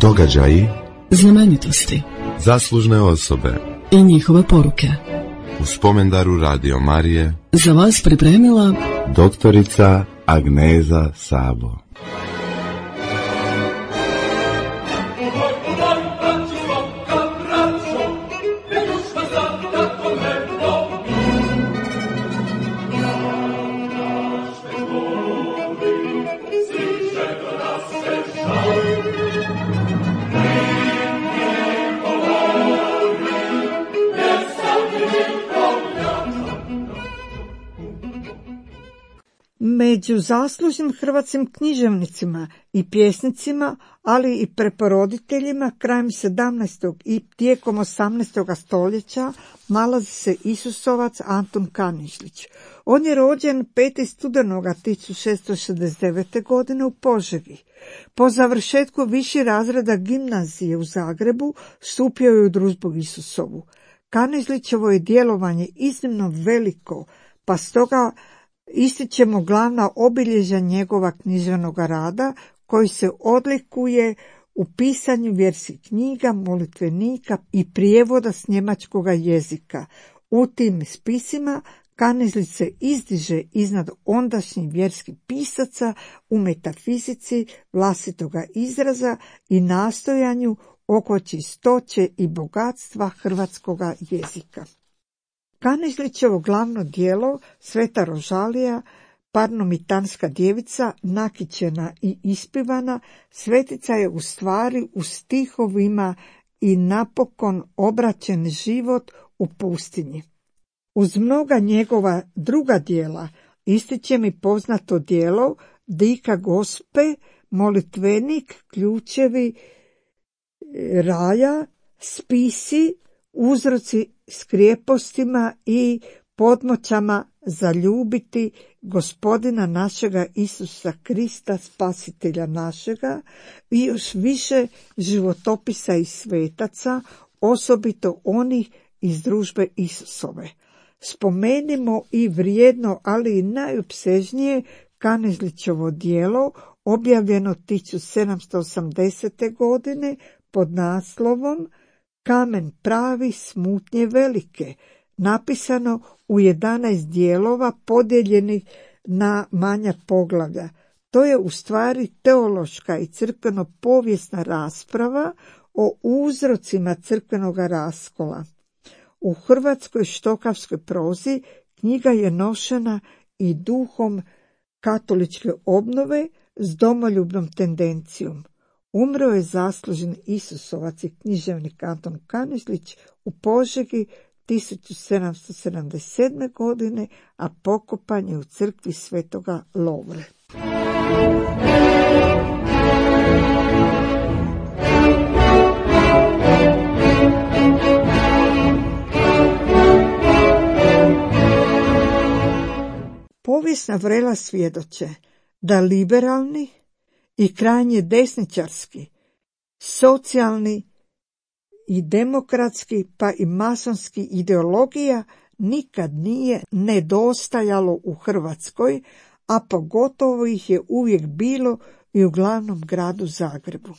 Događaji, znamenitosti, zaslužne osobe i njihove poruke. U spomendaru Radio Marije Za vas pripremila doktorica Agneza Sabo. Među zaslužnim hrvatskim književnicima i pjesnicima, ali i preporoditeljima krajem 17. i tijekom 18. stoljeća nalazi se Isusovac Antun Kanižlić. On je rođen 5. studenoga 1669. godine u Požegi. Po završetku viših razreda gimnazije u Zagrebu stupio je u družbu Isusovu. Kanižlićevo je djelovanje iznimno veliko, pa stoga ističemo glavna obilježja njegova književnog rada koji se odlikuje u pisanju vjerskih knjiga, molitvenika i prijevoda s njemačkog jezika. U tim spisima Kanižlić se izdiže iznad ondašnjih vjerskih pisaca u metafizici vlastitoga izraza i nastojanju oko čistoće i bogatstva hrvatskoga jezika. Kanižlićevo glavno djelo, Sveta Rožalija, Parnomitanska djevica, nakićena i ispivana, svetica je u stvari u stihovima i napokon obraćen život u pustinji. Uz mnoga njegova druga djela ističe mi poznato djelo Dika Gospe, molitvenik, ključevi raja, spisi, uzroci s krijepostima i podmoćama zaljubiti Gospodina našega Isusa Krista, spasitelja našega, i još više životopisa i svetaca, osobito onih iz družbe Isusove. Spomenimo i vrijedno, ali i najopsežnije Kanižlićevo djelo, objavljeno 1780. godine pod naslovom Kamen pravi, smutnje velike, napisano u 11 dijelova podijeljenih na manja poglavlja. To je u stvari teološka i crkveno-povijesna rasprava o uzrocima crkvenog raskola. U hrvatskoj štokavskoj prozi knjiga je nošena i duhom katoličke obnove s domoljubnom tendencijom. Umro je zaslužen Isusovac i književnik Antun Kanižlić u Požegi 1777. godine, a pokopan je u crkvi Svetoga Lovre. Povijesna vrela svjedoče da liberalni i krajnje desničarski, socijalni i demokratski pa i masonski ideologija nikad nije nedostajalo u Hrvatskoj, a pogotovo ih je uvijek bilo i u glavnom gradu Zagrebu.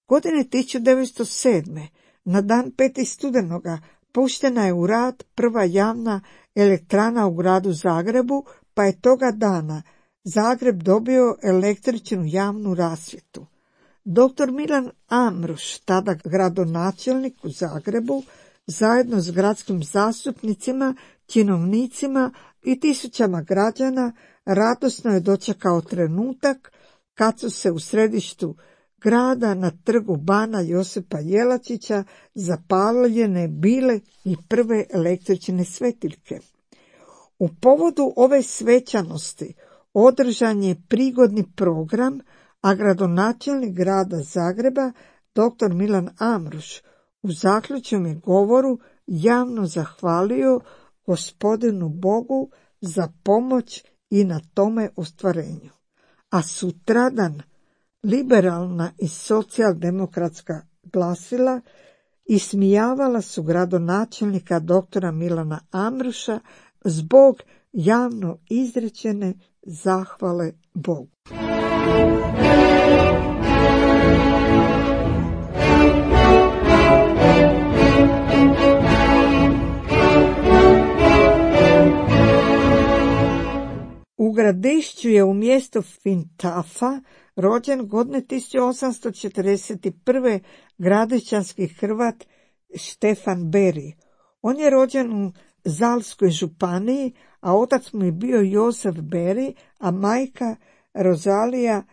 Godine 1907. na dan 5. studenoga puštena je u rad prva javna elektrana u gradu Zagrebu, pa je toga dana Zagreb dobio električnu javnu rasvjetu. Dr. Milan Amruš, tada gradonačelnik u Zagrebu, zajedno s gradskim zastupnicima, činovnicima i tisućama građana, radosno je dočekao trenutak kad su se u središtu grada na trgu Bana Josipa Jelačića zapaljene bile i prve električne svetiljke. U povodu ove svečanosti održan je prigodni program, a gradonačelnik grada Zagreba, dr. Milan Amruš, u zaključnom govoru javno zahvalio Gospodinu Bogu za pomoć i na tome ostvarenju. A sutradan liberalna i socijaldemokratska glasila ismijavala su gradonačelnika dr. Milana Amruša zbog javno izrečene zahvale Bogu. Gradišću je u mjestu Fintafa rođen godine 1841. gradišćanski Hrvat Štefan Beri. On je rođen u Zalskoj županiji, a otac mu je bio Josef Beri, a majka Rozalija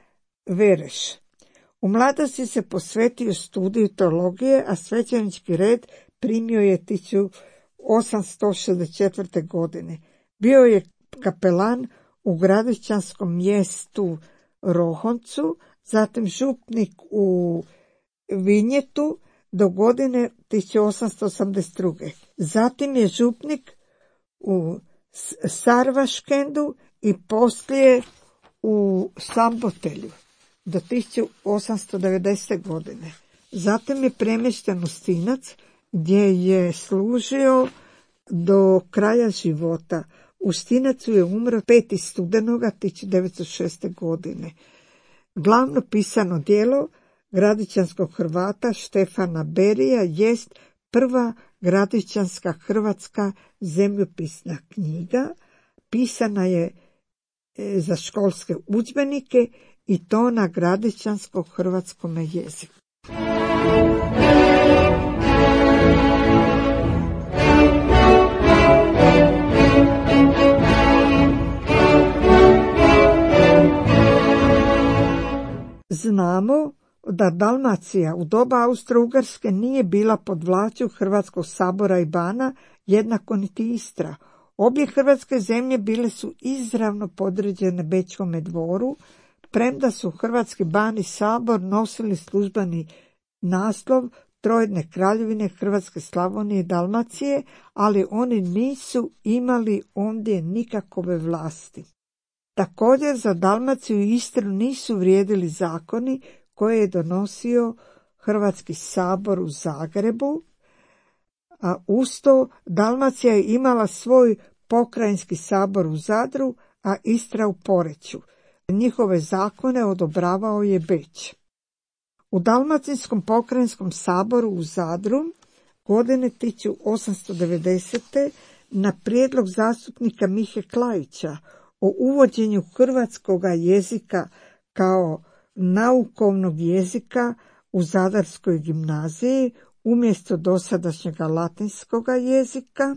Vereš. U mladosti se posvetio studiju teologije, a svećenički red primio je 1864. godine. Bio je kapelan u gradišćanskom mjestu Rohoncu, zatim župnik u Vinjetu do godine 1882. Zatim je župnik u Sarvaškendu i poslije u Sambotelju do 1890. godine. Zatim je premješten u Stinac gdje je služio do kraja života. U Stinacu je umro 5. studenoga 1906. godine. Glavno pisano djelo gradišćanskog Hrvata Štefana Berija jest prva gradišćanska hrvatska zemljopisna knjiga. Pisana je za školske udžbenike i to na gradišćanskom hrvatskom jeziku. Znamo da Dalmacija u doba Austro-Ugarske nije bila pod vlašću Hrvatskog sabora i bana, jednako niti Istra. Obje hrvatske zemlje bile su izravno podređene Bečkome dvoru, premda su Hrvatski ban i sabor nosili službeni naslov Trojedne kraljevine Hrvatske, Slavonije i Dalmacije, ali oni nisu imali ondje nikakove vlasti. Također za Dalmaciju i Istru nisu vrijedili zakoni koje je donosio Hrvatski sabor u Zagrebu, a uz to Dalmacija je imala svoj pokrajinski sabor u Zadru, a Istra u Poreču. Njihove zakone odobravao je Beč. U Dalmatinskom pokrajinskom saboru u Zadru godine 1890. na prijedlog zastupnika Mihe Klajića o uvođenju hrvatskoga jezika kao naukovnog jezika u Zadarskoj gimnaziji umjesto dosadašnjega latinskoga jezika,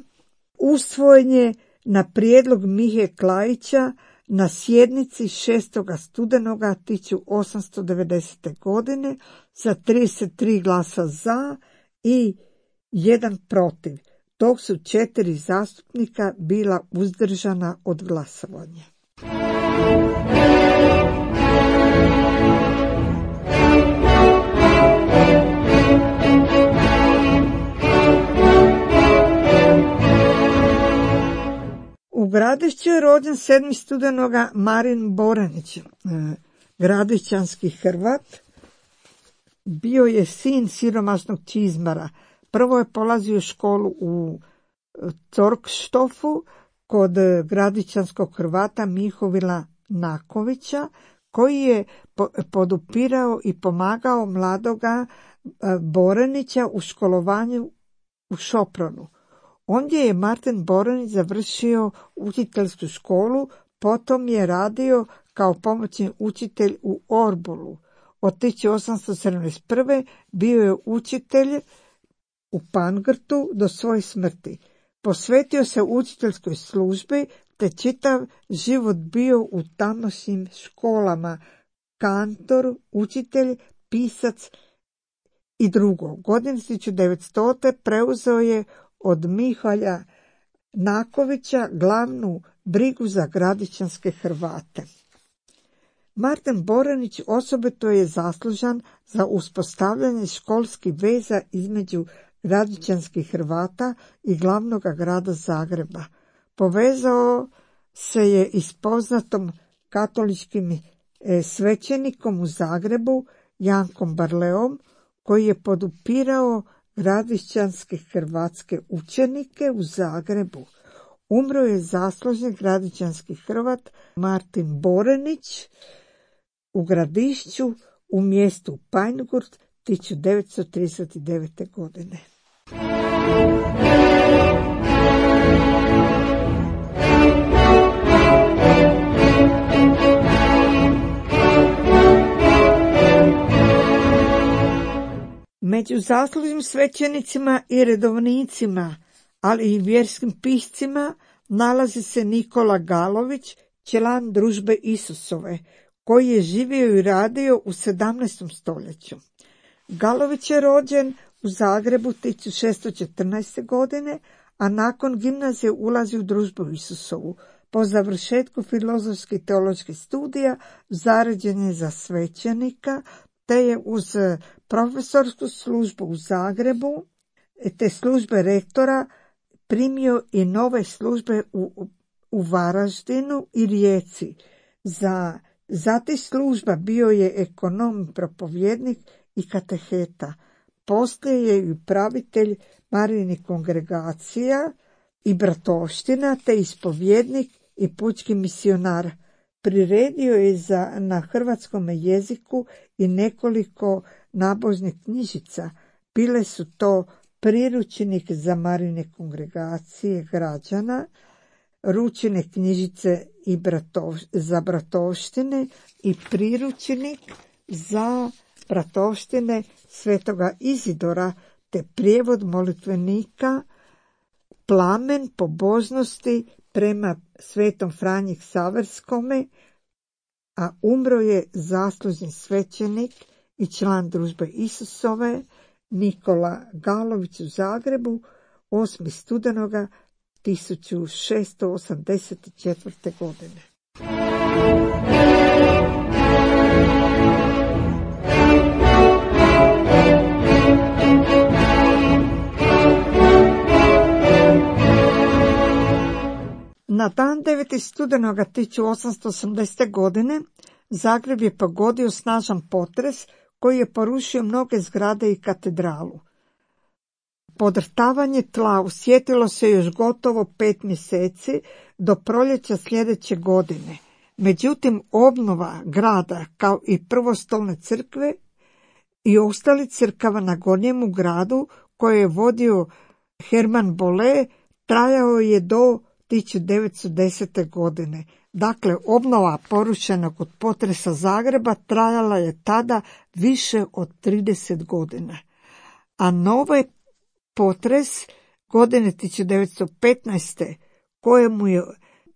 usvojen je na prijedlog Mihe Klajića na sjednici 6. studenoga 1890. godine sa 33 glasa za i 1 protiv, dok su 4 zastupnika bila uzdržana od glasovanja. U Gradišću je rođen 7. studenoga Marin Boranić, gradišćanski Hrvat. Bio je sin siromašnog čizmara. Prvo je polazio školu u Torkštofu kod gradišćanskog Hrvata Mihovila Nakovića, koji je podupirao i pomagao mladoga Boranića u školovanju u Šopronu. Ondje je Martin Boranić završio učiteljsku školu, potom je radio kao pomoćni učitelj u Orbolu. Od 1871. bio je učitelj u Pangrtu do svoje smrti. Posvetio se učiteljskoj službi te čitav život bio u tamošnjim školama, kantor, učitelj, pisac i drugo. Godine 1900. preuzeo je od Miholja Nakovića glavnu brigu za gradišćanske Hrvate. Martin Boranić osobito je zaslužan za uspostavljanje školskih veza između gradišćanskih Hrvata i glavnog grada Zagreba. Povezao se je i s poznatom katoličkim svećenikom u Zagrebu, Jankom Barleom, koji je podupirao gradišćanske hrvatske učenike u Zagrebu. Umro je zaslužni gradišćanski Hrvat Martin Boranić u Gradišću u mjestu Panjgurt 1939. godine. Među zaslužnim svećenicima i redovnicima, ali i vjerskim piscima, nalazi se Nikola Galović, član Družbe Isusove, koji je živio i radio u 17. stoljeću. Galović je rođen u Zagrebu 1614. godine, a nakon gimnazije ulazi u Družbu Isusovu. Po završetku filozofskih i teoloških studija zaređen je za svećenika, te je uz profesorsku službu u Zagrebu te službe rektora primio i nove službe u Varaždinu i Rijeci. Za te služba bio je ekonom, propovjednik i kateheta. Poslije je i upravitelj Marijinih kongregacija i bratovština, te ispovjednik i pučki misionar. Priredio je na hrvatskom jeziku i nekoliko nabožnih knjižica. Bile su to priručnik za Marijine kongregacije građana, ručine knjižice za bratovštine i priručnik za bratovštine Svetoga Izidora, te prijevod molitvenika Plamen pobožnosti prema Svetom Franji Ksaverskome, a umro je zaslužni svećenik i član Družbe Isusove Nikola Galović u Zagrebu 8. studenoga 1684. godine. Na dan 9. studenoga 1880. godine Zagreb je pogodio snažan potres koji je porušio mnoge zgrade i katedralu. Podrtavanje tla osjetilo se još gotovo 5 mjeseci do proljeća sljedeće godine. Međutim, obnova grada kao i prvostolne crkve i ostali crkava na Gornjemu gradu koje je vodio Herman Bolle trajao je do 1910. godine. Dakle, obnova porušenog od potresa Zagreba trajala je tada više od 30 godina. A novi potres godine 1915. kojemu je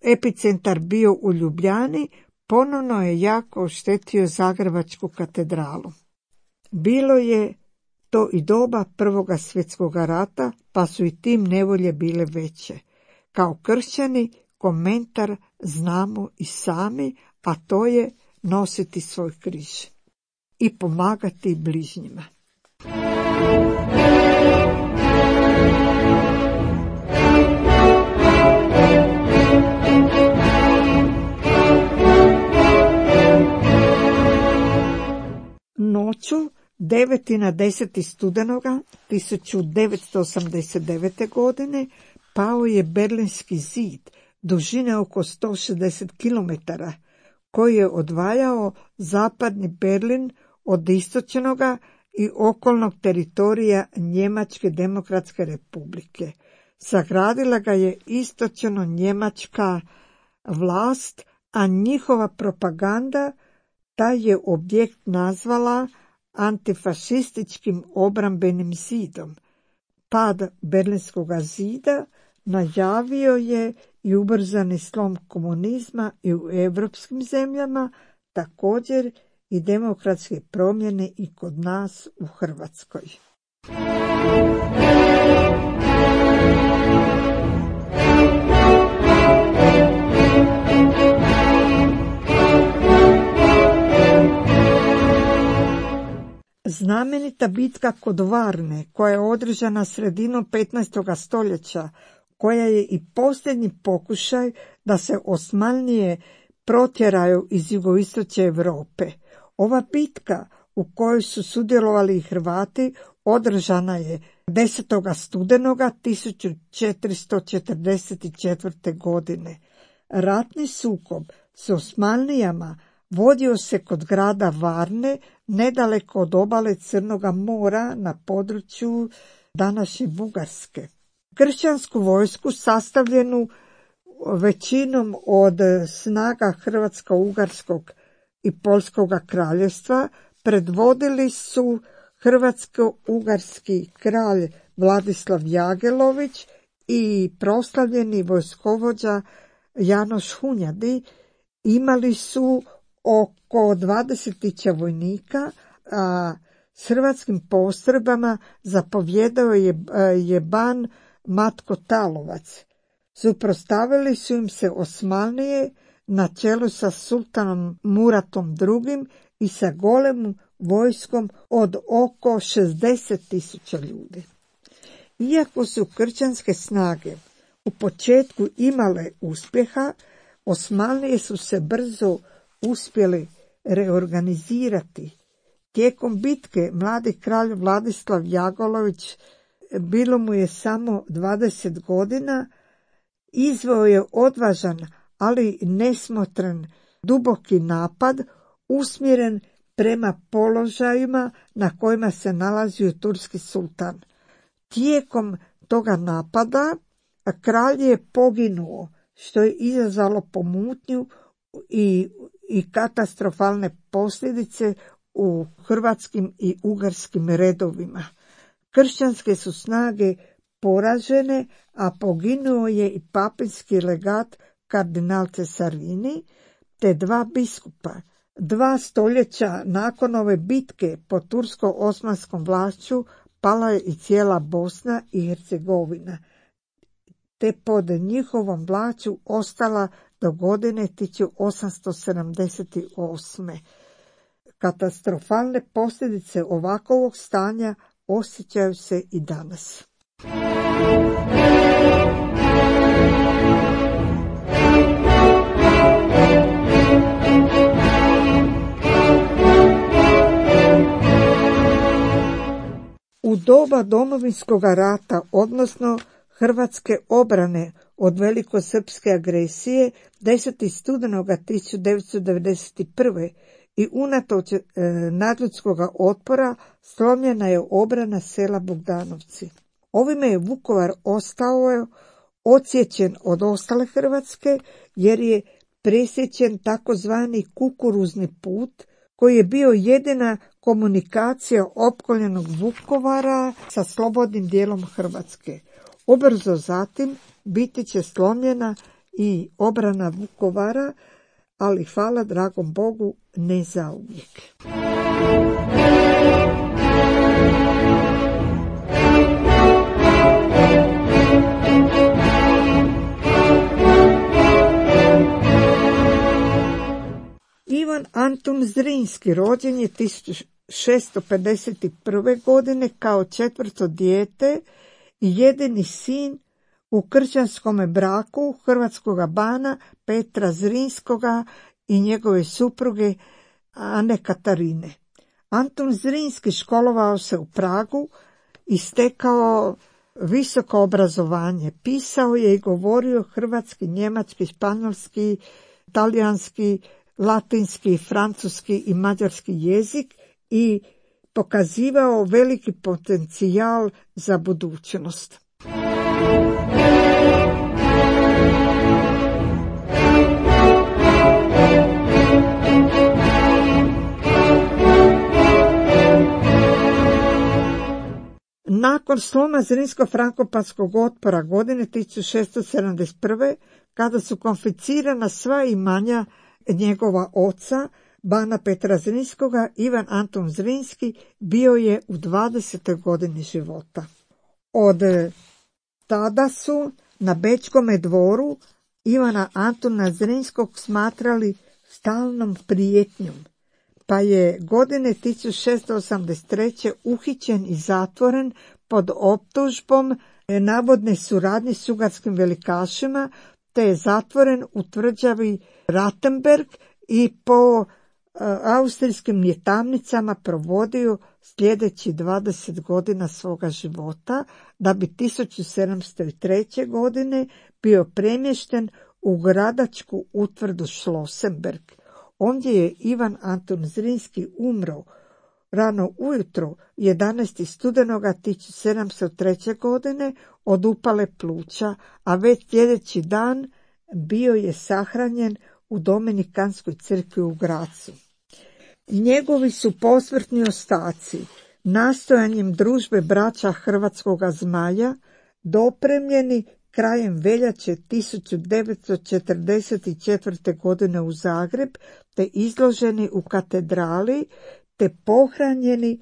epicentar bio u Ljubljani, ponovno je jako oštetio Zagrebačku katedralu. Bilo je to i doba Prvoga svjetskog rata, pa su i tim nevolje bile veće. Kao kršćani komentar znamo i sami, a to je nositi svoj križ i pomagati bližnjima. Noću 9. na 10. studenoga 1989. godine pao je Berlinski zid dužine oko 160 km, koji je odvajao zapadni Berlin od istočnoga i okolnog teritorija Njemačke demokratske republike. Sagradila ga je istočno njemačka vlast, a njihova propaganda taj je objekt nazvala antifašističkim obrambenim zidom. Pad Berlinskog zida najavio je i ubrzani slom komunizma i u europskim zemljama, također i demokratske promjene i kod nas u Hrvatskoj. Znamenita bitka kod Varne, koja je održana sredinom 15. stoljeća, koja je i posljednji pokušaj da se Osmanlije protjeraju iz jugoistočne Europe. Ova bitka u kojoj su sudjelovali i Hrvati održana je 10. studenoga 1444. godine. Ratni sukob s Osmanlijama vodio se kod grada Varne, nedaleko od obale Crnoga mora na području današnje Bugarske. Kršćansku vojsku sastavljenu većinom od snaga Hrvatsko-Ugarskog i Poljskog kraljevstva predvodili su hrvatsko-ugarski kralj Vladislav Jagelović i proslavljeni vojskovođa Janoš Hunjadi imali su oko 20.000 vojnika, a s hrvatskim postrojbama zapovjedao je ban Matko Talovac. Suprotstavili su im se Osmanlije na čelu sa sultanom Muratom II i sa golemom vojskom od oko 60.000 ljudi. Iako su kršćanske snage u početku imale uspjeha, Osmanlije su se brzo uspjeli reorganizirati. Tijekom bitke mladi kralj Vladislav Jagelović, bilo mu je samo 20 godina, izveo je odvažan, ali nesmotren duboki napad usmjeren prema položajima na kojima se nalazio turski sultan. Tijekom toga napada kralj je poginuo, što je izazvalo pomutnju i katastrofalne posljedice u hrvatskim i ugarskim redovima. Kršćanske su snage poražene, a poginuo je i papinski legat kardinal Cesarini, te 2 biskupa. 2 stoljeća nakon ove bitke pod tursko-osmanskom vlašću pala je i cijela Bosna i Hercegovina, te pod njihovom vlašću ostala do godine 1878. Katastrofalne posljedice ovakvog stanja osjećaju se i danas. U doba Domovinskog rata, odnosno Hrvatske obrane od velikosrpske agresije 10. studenoga 1991. i unatoč nadljudskog otpora slomljena je obrana sela Bogdanovci. Ovime je Vukovar ostao odsječen od ostale Hrvatske jer je presječen takozvani kukuruzni put koji je bio jedina komunikacija opkoljenog Vukovara sa slobodnim dijelom Hrvatske. Ubrzo zatim biti će slomljena i obrana Vukovara, ali hvala dragom Bogu ne zauvijek. Ivan Antun Zrinski rođen je 1651. godine kao 4. dijete i jedini sin u kršćanskome braku hrvatskoga bana Petra Zrinskoga i njegove supruge Ane Katarine. Antun Zrinski školovao se u Pragu i stekao visoko obrazovanje. Pisao je i govorio hrvatski, njemački, španjolski, talijanski, latinski, francuski i mađarski jezik i pokazivao veliki potencijal za budućnost. Nakon sloma Zrinsko-frankopanskog otpora godine 1671. kada su konfiscirana sva imanja njegova oca, bana Petra Zrinskoga, Ivan Antun Zrinski bio je u 20. godini života. Od tada su na Bečkome dvoru Ivana Antuna Zrinskog smatrali stalnom prijetnjom, pa je godine 1683. uhićen i zatvoren pod optužbom navodne suradnje s ugarskim velikašima, te je zatvoren u tvrđavi Rattenberg i po austrijskim njetamnicama provodio sljedeći 20 godina svoga života, da bi 1703. godine bio premješten u gradačku utvrdu Schlossenberg. Ondje je Ivan Antun Zrinski umro rano ujutro 11. studenoga 1703. godine od upale pluća, a već sljedeći dan bio je sahranjen u Dominikanskoj crkvi u Grazu. Njegovi su posmrtni ostaci nastojanjem družbe braća Hrvatskoga Zmaja, dopremljeni krajem veljače 1944. godine u Zagreb, te izloženi u katedrali, te pohranjeni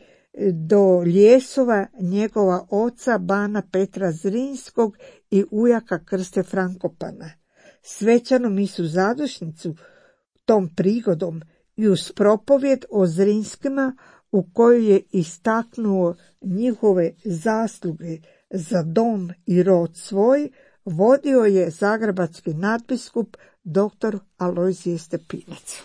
do ljesova njegova oca bana Petra Zrinskog i ujaka Krste Frankopana. Svečanu misu zadušnicu tom prigodom i uz propovjed o Zrinskima, u kojoj je istaknuo njihove zasluge za dom i rod svoj, vodio je zagrebački nadbiskup dr. Alojzije Stepinac.